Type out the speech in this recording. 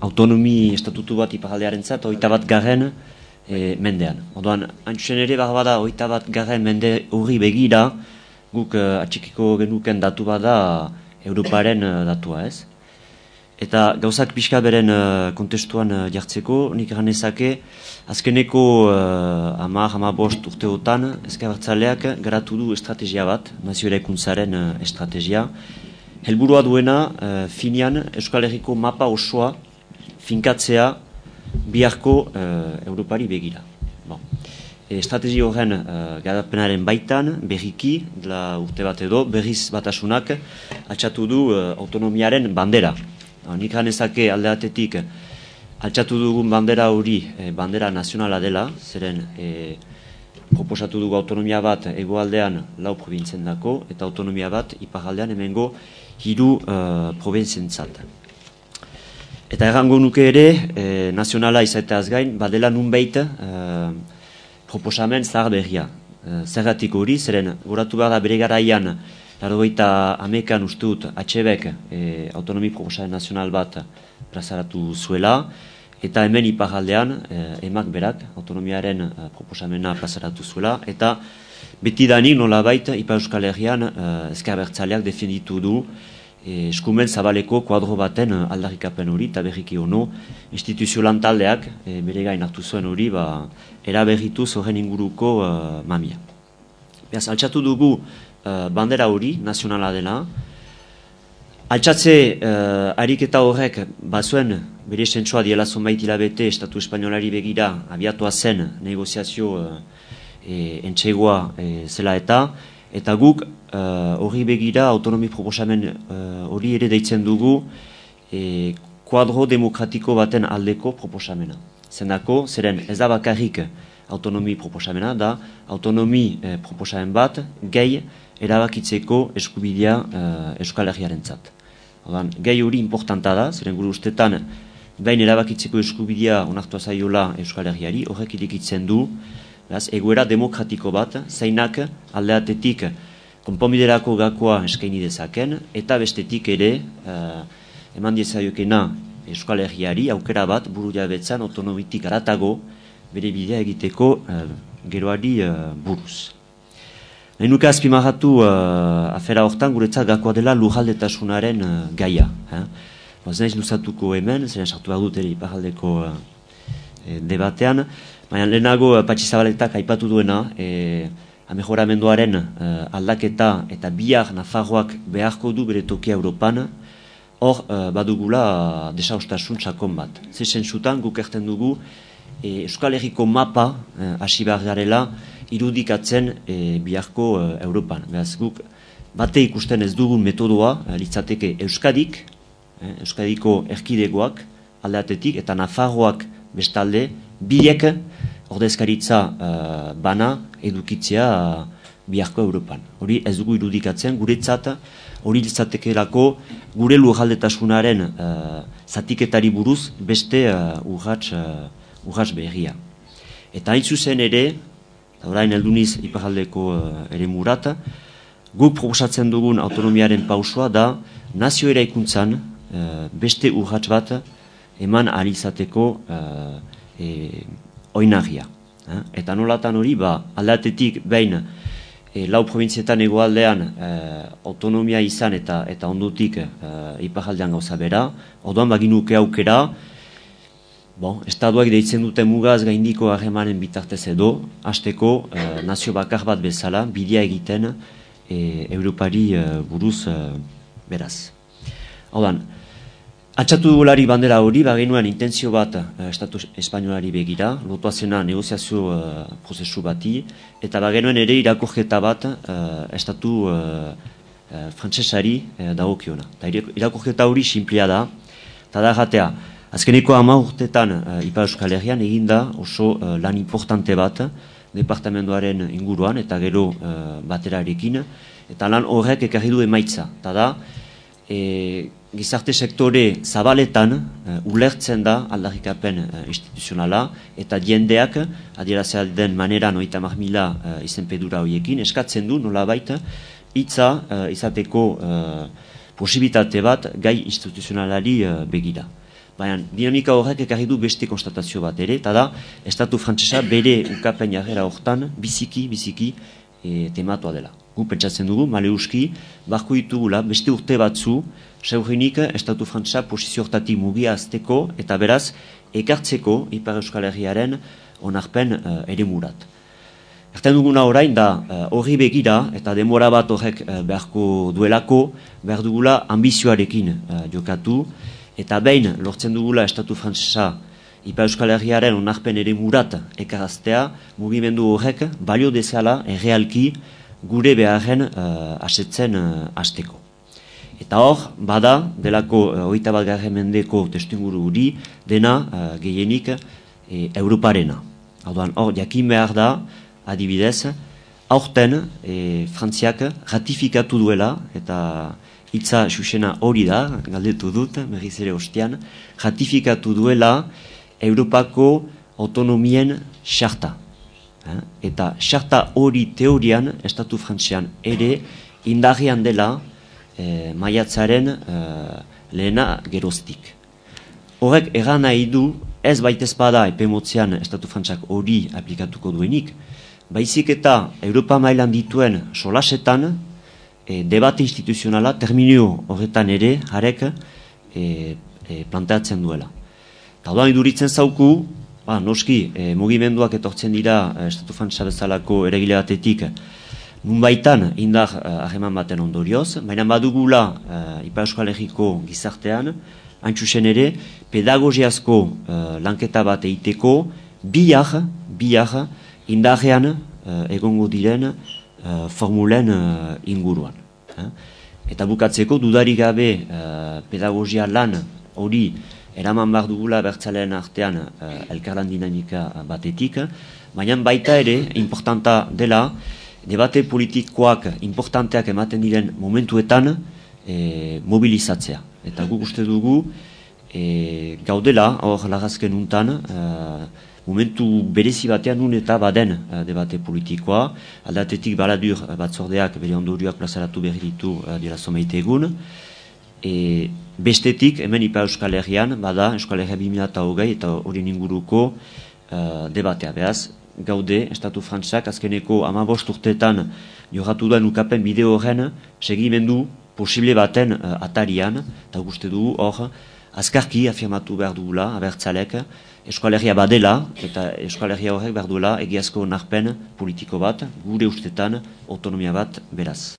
autonomi estatutu bat iparaldearentzat 21. Mendean. Orduan, antxusen ere bada 21. mende horri begira, guk atxikiko genuken datu bada Europaren datua, ez? Eta gauzak pixka beren kontestuan jartzeko, nik egan ezake, azkeneko 10-15 urteotan, Ezker Abertzaleak garatu du estrategia bat, nazio eraikuntzaren estrategia. Helburua duena, finean, Euskal Herriko mapa osoa finkatzea biharko Europari begira. Estrategi horren garapenaren baitan, berriki, dela urte bat edo, berriz batasunak altxatu du autonomiaren bandera. Nik ganezake alde batetik altxatu dugun bandera hori bandera nazionala dela, zeren proposatu dugu autonomia bat hegoaldean 4 probintzen dako, eta autonomia bat iparaldean hemengo 3 probintzientzat. Eta errango nuke ere, nazionala izateaz gain, badela nunbait proposamen zahar berria. Zergatik hori, zeren goratu behar da bere garaian, 80 uste dut, HBek autonomi proposamen nazional bat plazaratu zuela, eta hemen iparaldean, emak berak, autonomiaren proposamena plazaratu zuela, eta beti danik nolabait Ipar Euskal Herrian Ezker Abertzaleak defenditu du eskumen zabaleko kuadro baten aldarrikapen hori, eta berriki ono, instituzio lantaldeak bere gain hartu zuen hori, eraberritu horren inguruko mamia. Beraz, altxatu dugu bandera hori, nazionala dela. Altxatze ariketa horrek bazuen bere sentsua diela zonbait hilabete Estatu Espainolari begira abiatua zen negoziazio entsegoa zela eta guk horri begira autonomi proposamen hori ere deitzen dugu kuadro demokratiko baten aldeko proposamena. Zendako, zeren ez da bakarrik autonomi proposamena, da autonomi proposamen bat gehi erabakitzeko eskubidea Euskal Herriarentzat. Gai hori importanta da, zeren gure ustetan behin erabakitzeko eskubidea onartua zaiola Euskal Herriari, horrek irekitzen du egoera demokratiko bat, zeinak aldeatetik konponbiderako gakoa eskaini dezaken, eta bestetik ere eman diezaiokena Euskal Herriari aukera bat buru jabetzan autonomitik aratago bere bidea egiteko geroari buruz. Nahi nuke azpimarratu afera hortan guretzat gakoa dela lurraldetasunaren gaia. Ez naiz luzatuko hemen, zeren sartu behar dut ere iparaldeko debatean, baina lehenago Patxi Zabaletak aipatu duena, amejoramenduaren aldaketa eta bihar Nafarroak beharko du bere tokia Europan, hor badugula desaostasun sakon bat. Zezen zutan guk erten dugu Euskal Herriko mapa hasi behar garela irudikatzen biharko Europan. Beraz guk bate ikusten ez dugun metodoa litzateke Euskadik, Euskadiko erkidegoak aldeatetik eta Nafarroak bestalde biek ordezkaritza bana edukitzea biharko Europan. Hori ez dugu irudikatzen, guretzat hori litzatekelako gure lurraldetasunaren zatiketari buruz beste urrats berria. Eta hain zuzen ere, orain helduniz iparaldeko ere murat, guk proposatzen dugun autonomiaren pausua da nazio eraikuntzan beste urrats bat eman ahal izateko oinarria. Eta nolatan hori, aldatetik behin 4 provintzietan hegoaldean autonomia izan eta ondotik iparaldean gauza bera, orduan baginuke aukera, estatuak deitzen dute mugaz gaindiko harremanen bitartez edo, hasteko nazio bakar bat bezala, bidea egiten Europari buruz beraz. Orduan, altxatu dugulari bandera hori, bagenuen intentzio bat Estatu Espainolari begira, lotuazena negoziazio prozesu bati, eta bagenuen ere irakurketa bat Estatu frantsesari dagokiona. Irakurketa hori sinplia da, eta da jatea, azkeneko 10 urtetan Ipar Euskal Herrian eginda oso lan importante bat departamentoaren inguruan eta gero baterarekin, eta lan horrek ekarri du emaitza, eta da, gizarte sektore zabaletan ulertzen da aldarrikapen instituzionala eta jendeak adierazten den maneran 30.000 izenpedura horiekin eskatzen du nolabait hitza izateko posibilitate bat gai instituzionalari begira. baina dinamika horrek ekarri du beste konstatazio bat ere, eta da, estatu frantsesa bere ukapen jarrera hortan biziki tematua dela. Gu pentsatzen dugu, maleuski, barko ditugula beste urte batzu, seurrenik estatu frantsesa posizio hortatik mugia azteko, eta beraz, ekartzeko Ipar Euskal Herriaren onarpen eremurat. Erten duguna orain da horri begira eta denbora bat horrek beharko duelako, behar dugula ambizioarekin jokatu, eta behin lortzen dugula estatu frantsesa Ipar Euskal Herriaren onarpen eremurat ekaraztea, mugimendu horrek balio dezala errealki gure beharren asetzen hasteko. Eta hor, bada, delako 21. mendeko testuinguru hori, dena gehienik Europarena. Hor, jakin behar da, adibidez, aurten Frantziak ratifikatu duela, eta hitza xusena hori da, galdetu dut, berriz ere ostian, ratifikatu duela Europako autonomien xarta. Eta xarta hori teorian, estatu frantzian ere, indarrean dela maiatzaren lehena geroztik. Horrek egan nahi du, ez baitez bada epemotzean estatu frantziak hori aplikatuko duenik, baizik eta Europa mailan dituen solasetan debate instituzionala terminio horretan ere harek planteatzen duela. Eta doan iduritzen zauku, noski mugimenduak etortzen dira estatu frantsesa bezalako eragile batetik nunbaitan indar harreman baten ondorioz, baina badugula Ipar Euskal Herriko gizartean, hain txusen ere, pedagogiazko lanketa bat eiteko bihar indarrean egongo diren formulen inguruan. Eta bukatzeko dudarik gabe pedagogia lan hori eraman behar dugula bertzaleen artean elkarlan dinamika batetik, baina baita ere importanta dela debate politikoak importanteak ematen diren momentuetan mobilizatzea. Eta guk uste dugu gaudela, hor lagazken untan, momentu berezi batean nun eta baden debate politikoa, aldatetik baladur batzordeak bere ondorioak plazaratu berri ditu dira someite egun, bestetik, hemen Ipar Euskal Herrian, bada Euskal Herria 2020 eta horien inguruko debatea. Beaz, gaude, estatu frantsak azkeneko 15 urteetan jorratu duen ukapen bideo horren segimendu posible baten atarian, eta uste dugu hor, azkarki afirmatu behar dugula, abertzalek, Euskal Herria badela, eta Euskal Herria horrek behar duela egiazko onarpen politiko bat, gure ustetan autonomia bat beraz.